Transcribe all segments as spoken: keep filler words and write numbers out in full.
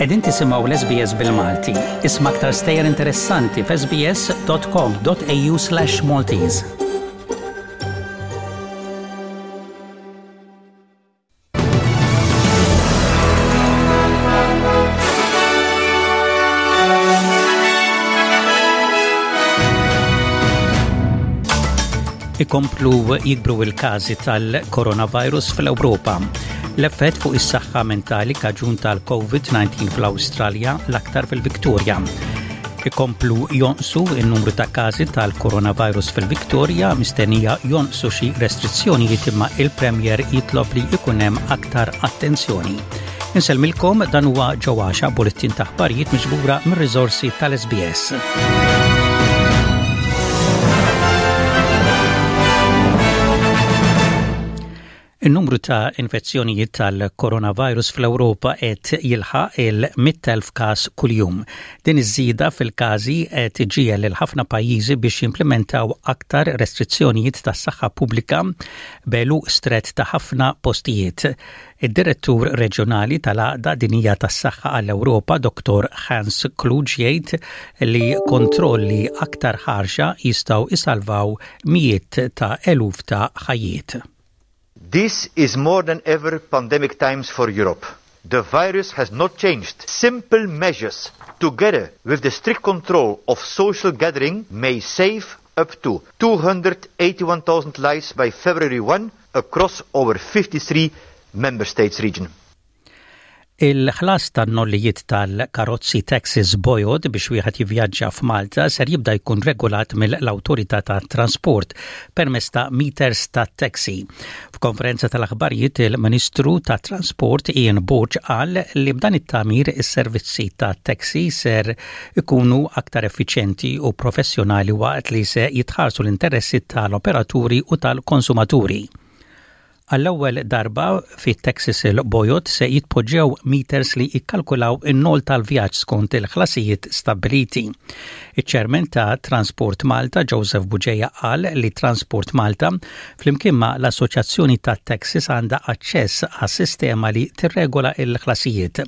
Qegħdin tisimgħu l-S B S bil-Malti. Isma' aktar stejjer interessanti f'S B S dot com dot A U slash Maltese. Ikomplu jikbru il-każi tal-coronavirus fl-Ewropa. L-effett fuq is-saħħa mentali kaġun tal-COVID nineteen fl-Awstralja, l-aktar fil-Viktoria. Ikomplu jonqsu il-numru ta' każi tal-coronavirus fil-Viktoria, mistennija jonqsu xi restrizzjonijiet, imma il-Premier jitlob li ikun hemm aktar attenzjoni. Insellmilkom, dan huwa ġewwaxa bulettin ta' aħbarijiet miġbura mir-riżorsi tal-S B S. Il-numru ta' infezzjonijiet tal-coronavirus fl-Ewropa qed jilħaq il-mitt elf każ kuljum. Din iż-żieda fil-każi qed iġiegħel lil ħafna pajjiżi biex jimplementaw aktar restrizzjonijiet tas-saħħa pubblika b'għeluq strett ta' ħafna postijiet. Id-direttur reġjonali tal-Għaqda Dinjija tas-Saħħa għall-Ewropa, Doktor Hans Kluge, jgħid li kontrolli aktar ħarxa jistgħu isalvaw mijiet ta' eluf ta' ħajjiet. This is more than ever pandemic times for Europe. The virus has not changed. Simple measures, together with the strict control of social gathering, may save up to two hundred eighty-one thousand lives by February first across our fifty-three member states region. Il-ħlas tan-nollijiet tal-karozzi taxis bojod biex wieħed jivvjaġġa f'Malta ser jibda jkun regolat mill-Awtorità tat Trasport permezz ta' meters ta' taxi. F'konferenza tal-aħbarijiet, il-Ministru ta' Transport Ian Borg qal li b'dan it-tagħmir is-servizzi ta' taxi ser ikunu aktar effiċjenti u professjonali waqt li se jitħarsu l-interessi tal-operaturi u tal-konsumaturi. Għall-ewwel darba fit-taxis il-bojod se jitpoġġew meters li jikkalkulaw in-nol tal-vjaġġ skont il-ħlasijiet stabiliti. Iċ-ċermen ta' Transport Malta, Joseph Bugeja, qal li Transport Malta flimkien ma' l-Assoċjazzjoni ta' Taxis għandha aċċess għas sistema li tirregola il-ħlasijiet.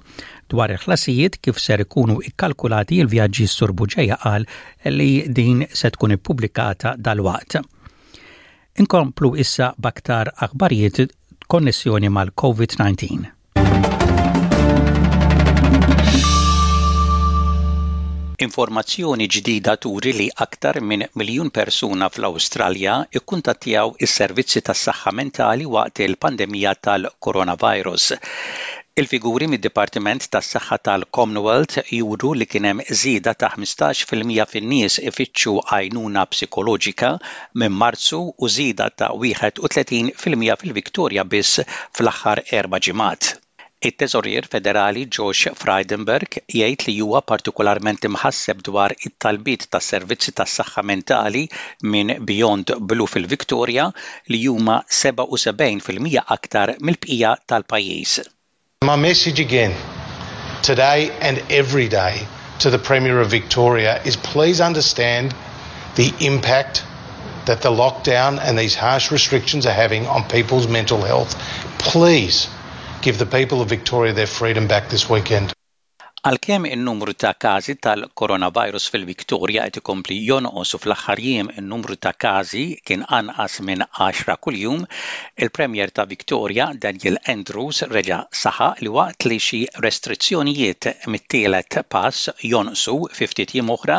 Dwar il-ħlasijiet kif ser ikunu ikkalkulati il-vjaġġi, Sur Bugeja qal li din se tkun ippubblikata dal-waqt. Inkomplu issa b'aktar aħbarijiet konnessjoni mal-COVID nineteen. Informazzjoni ġdida turi li aktar minn miljun persuna fl-Awstralja ikkuntattjaw is-servizzi tas-saħħa mentali waqt il-pandemija tal-coronavirus. Il-figuri mid-Dipartiment tas-Saħħa tal-Commonwealth juru li kien hemm żieda ta' ħmistax fil-mija fin-nies ifittxu għajnuna psikoloġika minn Marzu u żieda ta' wieħed u tletin fil-mija fil-Viktoria biss fl-aħħar erba' ġimgħat. It-Teżorier Federali Josh Frydenberg jgħid li huwa partikolarment imħasseb dwar it-talbiet tas-servizzi tas-saħħa mentali minn Beyond Blue fil-Viktoria, li huma sebgħa u sebgħin fil-mija aktar mill-bqija tal-pajjiż. My message again, today and every day, to the Premier of Victoria is please understand the impact that the lockdown and these harsh restrictions are having on people's mental health. Please give the people of Victoria their freedom back this weekend. Għalkemm in-numru ta' każi tal-coronavirus fil-Viktoria qed ikompli jonqos u fl-aħħar jiem in-numru ta' każi kien anqas minn għaxra kuljum, il-Premier ta' Victoria Daniel Andrews reġa' saħaq li waqt li xi restrizzjonijiet mit-tielet pass jonqsu fi ftit jiem oħra,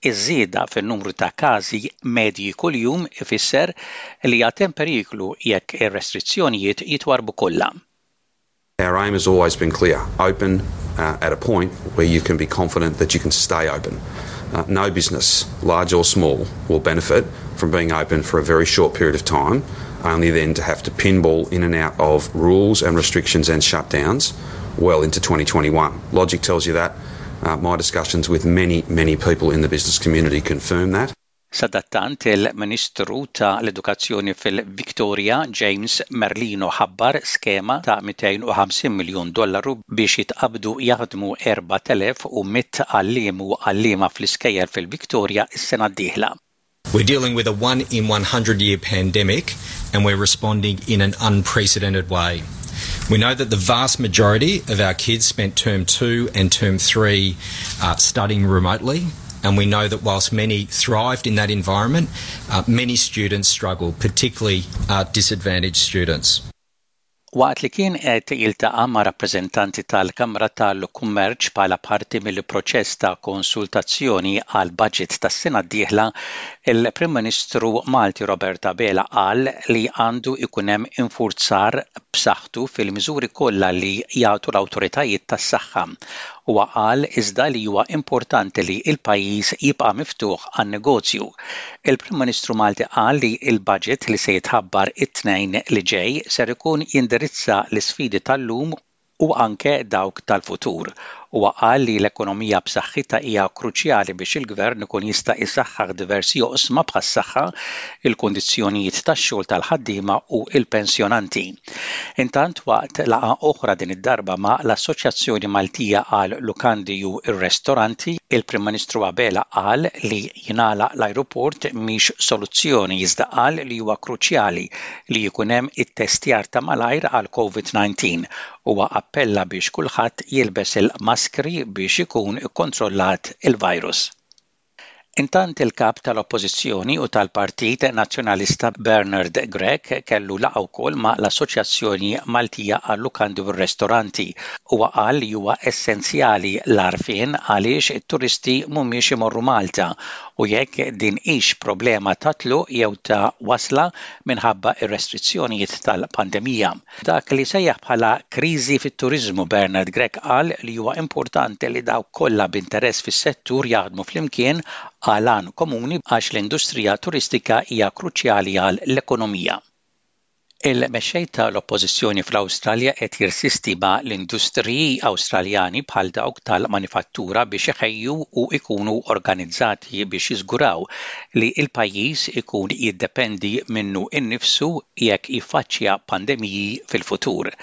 iż-żieda fin-numru ta' każi medji kuljum ifisser li għad hemm periklu jekk ir-restrizzjonijiet jitwarbu kollha. Our aim has always been clear: open uh, at a point where you can be confident that you can stay open. Uh, no business, large or small, will benefit from being open for a very short period of time, only then to have to pinball in and out of rules and restrictions and shutdowns well into twenty twenty-one. Logic tells you that. Uh, my discussions with many, many people in the business community confirm that. Sadattant, il-Ministru ta' l-Edukazzjoni fil-Victoria James Merlino ħabbar skema ta' mitejn u ħamsin miljun dollaru biex jitqabdu jaħdmu erbat elef u mitt għalliem u għalliema fl-iskejjel fil-Victoria is-sena d-dieħla. We're dealing with a one in one hundred year pandemic and we're responding in an unprecedented way. We know that the vast majority of our kids spent term two and term three uh, studying remotely. And we know that whilst many thrived in that environment, uh, many students struggled, particularly uh, disadvantaged students. Waqt li kien qed jiltaqa' ma' rappreżentanti tal-Kamra tal-Kummerċ bħala parti mill-proċess ta' konsultazzjoni għal budget tas-sena d-dieħla, il-Prim Ministru Malti Robert Abela qal li għandu ikun hemm infurzar b'saħħtu fil-miżuri kollha li jagħtu l-awtoritajiet tas-saħħa. Huwa qal iżda li huwa importanti li l-pajjiż jibqa' miftuħ għan-negozju. Il-Prim Ministru Malti qal li l-budget li se jitħabbar it-tnejn li ġej ser ikun jindirizza l-isfidi tal-lum u anke dawk tal-futur. Huwa qal li l-ekonomija b'saħħitha hija kruċjali biex il-gvern ikun jista' jsaħħaħ diversi oqsma bħas-saħħa, il-kundizzjonijiet tax-xogħol tal-ħaddiema u l-pensjonanti. Intant waqt laqgħa oħra din id-darba ma' l-Assoċjazzjoni Maltija għal Lukandi u r-Ristoranti, il-Prim Ministru Abela qal li jingħalaq l-ajruport mhix soluzzjoni iżda qal li huwa kruċjali li jkun hemm it-testjar ta' malajr għal COVID nineteen. Huwa appella biex kulħadd jilbes il-maskri biex ikun ikkontrollat il-virus. Intant il-kap tal-Oppożizzjoni u tal-Partit Nazzjonalista Bernard Grech kellu laqgħa wkoll ma' l-Assoċjazzjoni Maltija għal-Lukandi u r-Ristoranti. Huwa qal li huwa essenzjali l-għarfien għaliex it-turisti mhumiex imorru Malta u jekk din hix problema ta' tluq jew ta' wasla minħabba ir-restrizzjonijiet tal-pandemija. Dak li sejjaħ bħala kriżi fit-turiżmu Bernard Grech qal li huwa importanti li dawk kollha b'interess fis-settur jaħdmu flimkien għal għan komuni għax l-industrija turistika hija kruċjali għal l-ekonomija. Il-mexxej tal-Oppożizzjoni fl-Awstralja qed jirsisti ma' l-industriji Awstraljani bħal dawk tal-manifattura biex iħejju u ikunu organizzati biex jiżguraw li l-pajjiż ikun jiddependi minnu innifsu jekk jiffaċċja pandemiji fil-futur.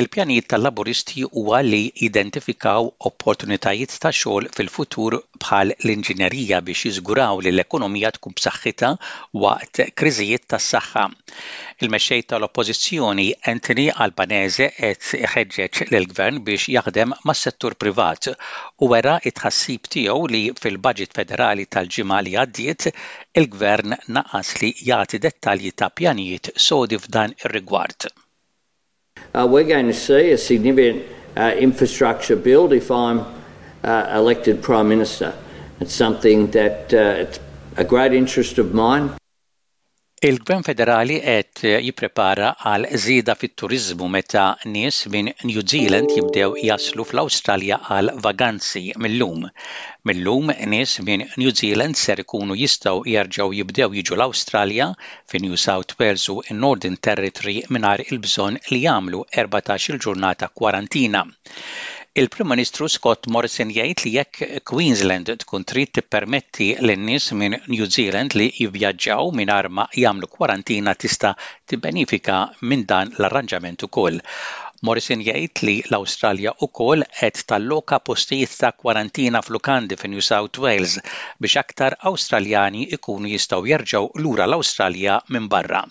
Il-pjanijiet tal-Laburisti huwa li jidentifikaw opportunitajiet ta' xogħol fil-futur bħal l-inġinerija biex jiżguraw li l-ekonomija tkun b'saħħitha waqt kriżijiet tas-saħħa. Il-mexxej tal-Oppożizzjoni Anthony Albanese qed iħeġġeġ lill-gvern biex jaħdem mas-settur privat u wera it-tħassib tiegħu li fil-budget federali tal-ġimgħa li għaddiet il-gvern naqas li jagħti dettalji ta' pjanijiet sodi f'dan ir-rigward. Uh, we're going to see a significant uh, infrastructure build if I'm uh, elected Prime Minister. It's something that uh, it's a great interest of mine. Il-Gvern Federali qed jipprepara għal żieda fit-turiżmu meta nies minn New Zealand jibdew jaslu fl-Awstralja għal vaganzi mill-lum. Mill-lum nies minn New Zealand ser ikunu jistgħu jerġgħu jibdew jiġu l-Awstralja fi New South Wales u Northern Territory mingħajr il-bżonn li jagħmlu erbatax-il ġurnata kwarantina. Il-Prim Ministru Scott Morrison jgħid li jekk Queensland tkun trid tippermetti lin-nies minn New Zealand li jivvjaġġaw mingħajr ma jagħmlu kwarantina tista' tibbenifika minn dan l-arranġament ukoll. Morrison jgħid li l-Awstralja wkoll qed talloka postijiet ta' kwarantina f'lukandi fi New South Wales biex aktar Awstraljani ikunu jistgħu jerġgħu lura l-Awstralja minn barra.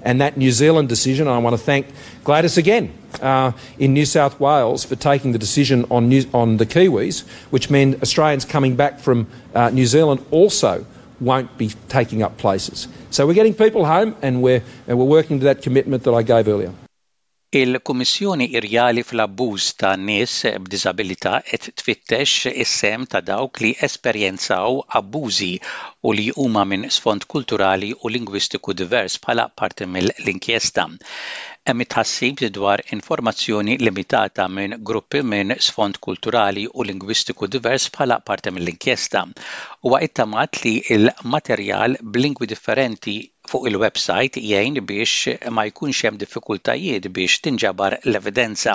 And that New Zealand decision, I want to thank Gladys again uh, in New South Wales for taking the decision on, New, on the Kiwis, which meant Australians coming back from uh, New Zealand also won't be taking up places. So we're getting people home and we're, and we're working to that commitment that I gave earlier. Il-Kummissjoni Rjali fl-Abbuż ta' nies b'diżabilità qed tfittex is-sehem ta' dawk li esperjenzaw abbużi u li huma minn sfond kulturali u lingwistiku divers bħala parti mill-inkjesta. Hemm tħassib dwar informazzjoni limitata minn gruppi minn sfond kulturali u lingwistiku divers bħala parti mill-inkjesta. Huwa ittamat li il-materjal b'lingwi differenti fuq il-website jgħin biex ma jkunx hemm diffikultajiet biex tinġabar l-evidenza.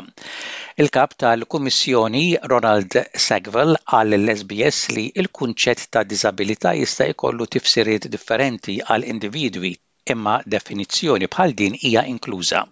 Il-kap tal-Kummissjoni Ronald Sackville qal lill-S B S li il-kunċett ta' diżabilità jista' jkollu tifsiriet differenti għal individwi imma definizzjoni bħal din hija inkluża.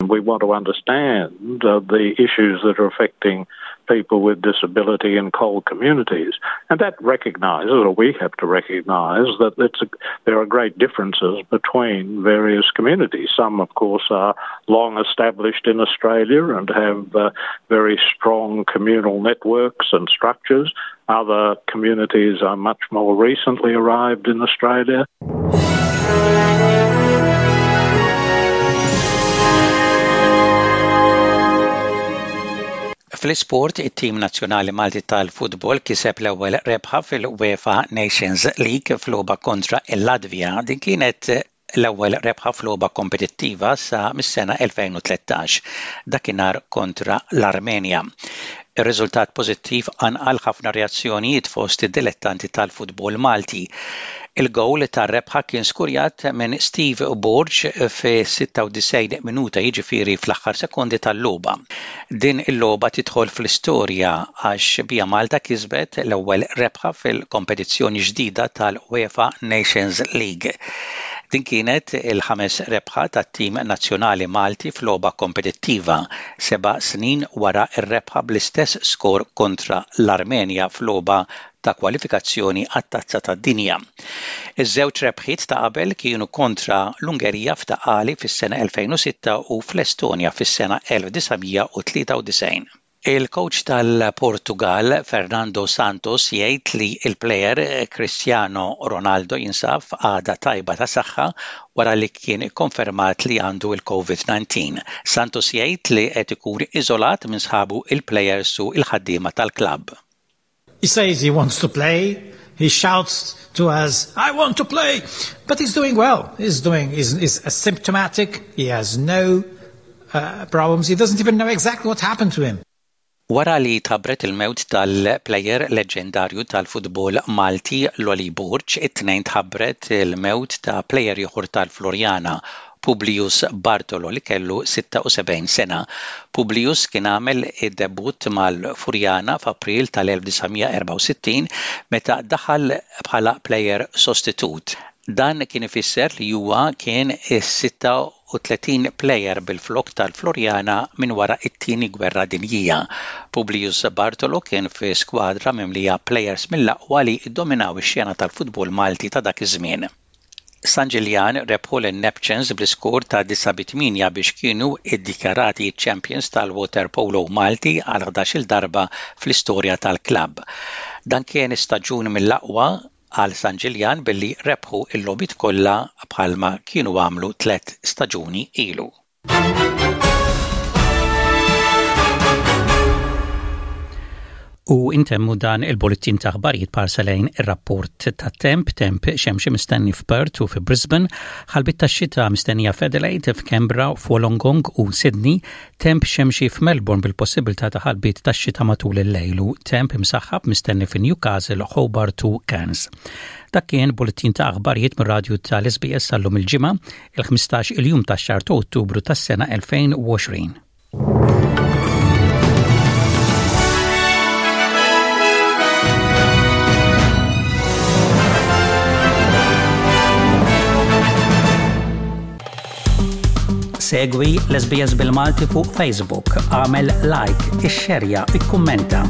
We want to understand uh, the issues that are affecting people with disability in CALD communities. And that recognises, or we have to recognise, that it's a, there are great differences between various communities. Some, of course, are long established in Australia and have uh, very strong communal networks and structures. Other communities are much more recently arrived in Australia. Fl-isport, it-tim nazzjonali Malti tal-futbol kiseb l-ewwel rebħa fil-UEFA Nations League f'logħba kontra il-Latvja. Din kienet l-ewwel rebħa f'logħba kompetittiva sa mis-sena elfejn u tlettax, dakinhar kontra l-Armenja. Ir-riżultat pożittiv qanqal ħafna reazzjonijiet fost id-dilettanti tal-futbol Malti. Il-gowl tar-rebħa kien skurjat minn Steve Borg fi sitta u disgħin minuta, jiġifieri fl-aħħar sekondi tal-logħba. Din il-logħba tidħol fl-istorja għax bija Malta kisbet l-ewwel rebħa fil-kompetizzjoni ġdida tal-UEFA Nations League. Din kienet il-ħames rebħa tat-tim nazzjonali Malti f'logħba kompetittiva, seba' snin wara r-rebħa bl-istess skor kontra l-Armenja f'logħba ta' kwalifikazzjoni għat-Tazza tad-Dinja. Iż-żewġ rebħiet ta' qabel kienu kontra l-Ungerija f'Ta' Qali fis-sena elfejn u sitta u fl-Estonja fis-sena elf disa' mija u tlieta u disgħin. Il-coach tal-Portugal Fernando Santos jgħid li il-plejer Cristiano Ronaldo jinsab f'qagħda tajba ta' saħħa wara li kien ikkonfermat li għandu il-COVID disa. Santos jgħid li qed ikun iżolat minn sħabu il-plejers u il-ħaddiema tal-klabb. He says he wants to play. He shouts to us, "I want to play!" But he's doing well. He's doing, he's, he's asymptomatic. He has no uh, problems. He doesn't even know exactly what happened to him. Wara li tħabbret il-mewt tal-plejer leġendarju tal-futbol Malti Loli Borg, it-Tnejn tħabbret il-mewt ta' plejer ieħor tal-Floriana, Publius Bartolo, li kellu sitta u sebgħin sena. Publius kien għamel id-debut mal-Furjana f'April tal-elf disa' mija erbgħa u sittin meta daħal bħala plejer sostitut. Dan kien ifisser li huwa kien is-sitta u tletin plejer bil-flok tal-Floriana minn wara it-tieni gwerra dinjija. Publius Bartolo kien fi skwadra mimlija plejers mill-aqwa li ddominaw ix-xena tal-futbol Malti ta' dak iż-żmien. San Ġiljan rebħu l-Neptunes bl-iskor ta' disgħa bi tmienja biex kienu iddikjarati champions tal-waterpolo Malti għal ħdax-il darba fl-istorja tal-klabb. Dan kien istaġun mill-aqwa għal San Ġiljan billi rebħu il-logħbiet kollha bħalma kienu għamlu tliet staġuni ilu. U intemmu dan il-bulletin ta' aħbarijiet b'ħarsa lejn ir-rapport ta' temp, temp xemxi mistenni f'Perth u fi Brisbane, ħalbiet ta' xita mistennija f'Adelaide, f'Canberra, f'Wollongong u Sydney, temp xemxi f'Melbourne bil-possibilità ta' ħalbiet ta' xita matul il-lejl u temp imsaħħab mistenni fi Newcastle, Hobart u Cairns. Dak kien bulletin ta' aħbarijiet mir-radju tal-S B S għal-lum il-Ġimgħa, il-ħmistax il-jum tax-xahar ta' Ottubru tas-sena elfejn u għoxrin. Segwi l-S B S bil-Malti fuq Facebook, għamel like, ixxerja, ikkummenta.